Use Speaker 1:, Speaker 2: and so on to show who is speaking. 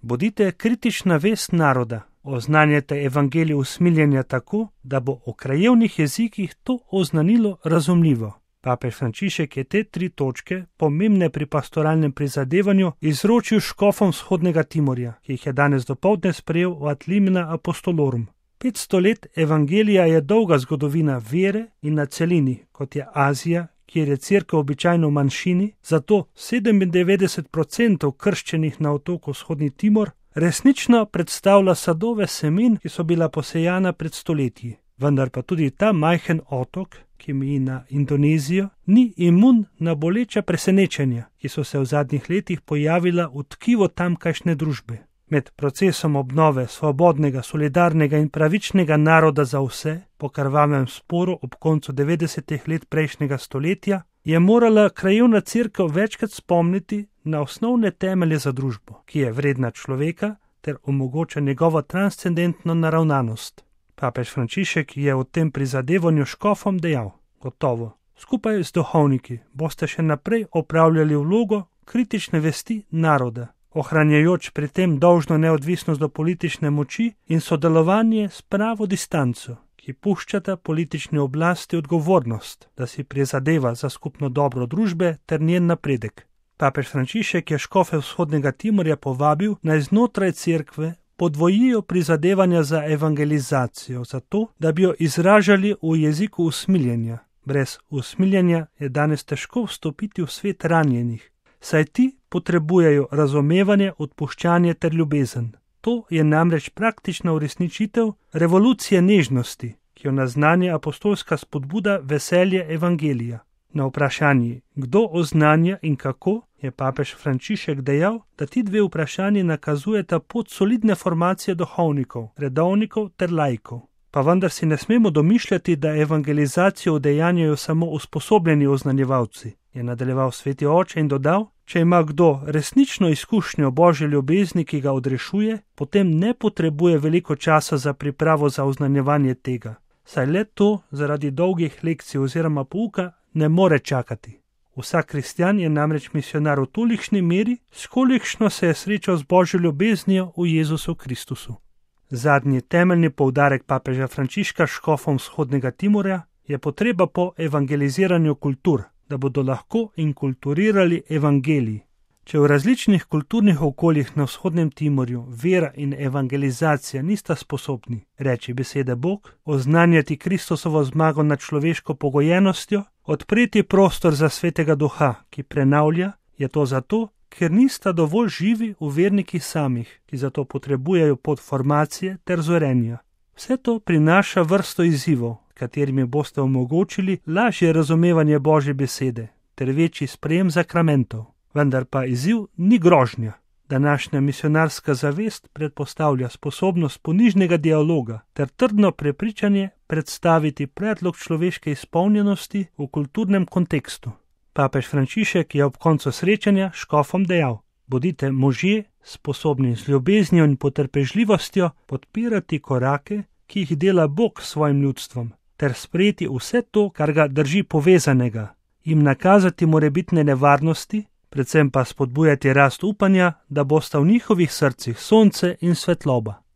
Speaker 1: Bodite kritična vest naroda, oznanjajte evangelij usmiljenja tako, da bo o krajevnih jezikih to oznanilo razumljivo. Papež Frančišek je te 3 točke, pomembne pri pastoralnem prizadevanju, izročil škofom vzhodnega Timorja, ki jih je danes dopoldne sprejel v Ad limina apostolorum. 500 let evangelija je dolga zgodovina vere in na celini, kot je Azija, kjer je cerkev običajno v manjšini, zato 97% krščenih na otoku vzhodni Timor resnično predstavlja sadove semen, ki so bila posejana pred stoletji. Vendar pa tudi ta majhen otok, ki meji na Indonezijo, ni imun na boleča presenečenja, ki so se v zadnjih letih pojavila v tkivo tamkajšnje družbe. Med procesom obnove svobodnega, solidarnega in pravičnega naroda za vse, po krvavem sporu ob koncu 90. let prejšnjega stoletja, je morala krajevna cerkev večkrat spomniti na osnovne temelje za družbo, ki je vredna človeka ter omogoča njegovo transcendentno naravnanost. Papež Frančišek je v tem prizadevanju škofom dejal: gotovo, skupaj z duhovniki boste še naprej opravljali vlogo kritične vesti naroda, ohranjajoč pri tem dolžno neodvisnost do politične moči in sodelovanje s pravo distanco, ki puščata politični oblasti odgovornost, da si prizadeva za skupno dobro družbe ter njen napredek. Papež Frančišek je škofe vzhodnega Timorja povabil, naj znotraj cerkve podvojijo prizadevanja za evangelizacijo, zato da bi jo izražali v jeziku usmiljenja. Brez usmiljenja je danes težko vstopiti v svet ranjenih, saj ti potrebujejo razumevanje, odpuščanje ter ljubezen. To je namreč praktična uresničitev revolucije nežnosti, ki jo naznanja apostolska spodbuda veselje evangelija. Na vprašanji, kdo oznanja in kako, je papež Frančišek dejal, da ti 2 vprašanji nakazujeta pot solidne formacije duhovnikov, redovnikov ter laikov. Pa vendar si ne smemo domišljati, da evangelizacijo udejanjajo samo usposobljeni oznanjevalci, je nadaljeval sveti oče in dodal: če ima kdo resnično izkušnjo Božje ljubezni, ki ga odrešuje, potem ne potrebuje veliko časa za pripravo za oznanjevanje tega, saj le to zaradi dolgih lekcij oziroma pouka ne more čakati. Vsak kristjan je namreč misionar v tolikšni meri, s kolikšno se je srečal z Božjo ljubeznijo v Jezusu Kristusu. Zadnji temeljni poudarek papeža Frančiška škofom vzhodnega Timorja je potreba po evangeliziranju kultur, da bodo lahko inkulturirali evangelij. Če v različnih kulturnih okoljih na vzhodnem Timorju vera in evangelizacija nista sposobni reči besede Bog, oznanjati Kristusovo zmago nad človeško pogojenostjo, odpreti prostor za svetega duha, ki prenavlja, je to zato, ker nista dovolj živi v vernikih samih, ki zato potrebujejo pot formacije ter zorenja. Vse to prinaša vrsto izzivov, katerimi boste omogočili lažje razumevanje Božje besede ter večji sprejem zakramentov. Vendar pa izziv ni grožnja. Današnja misionarska zavest predpostavlja sposobnost ponižnega dialoga ter trdno prepričanje predstaviti predlog človeške izpolnjenosti v kulturnem kontekstu. Papež Frančišek je ob koncu srečanja škofom dejal: bodite možje, sposobni z ljubeznijo in potrpežljivostjo podpirati korake, ki jih dela Bog s svojim ljudstvom, ter sprejeti vse to, kar ga drži povezanega, jim nakazati morebitne nevarnosti, predvsem pa spodbujati rast upanja, da bosta v njihovih srcih sonce in svetloba.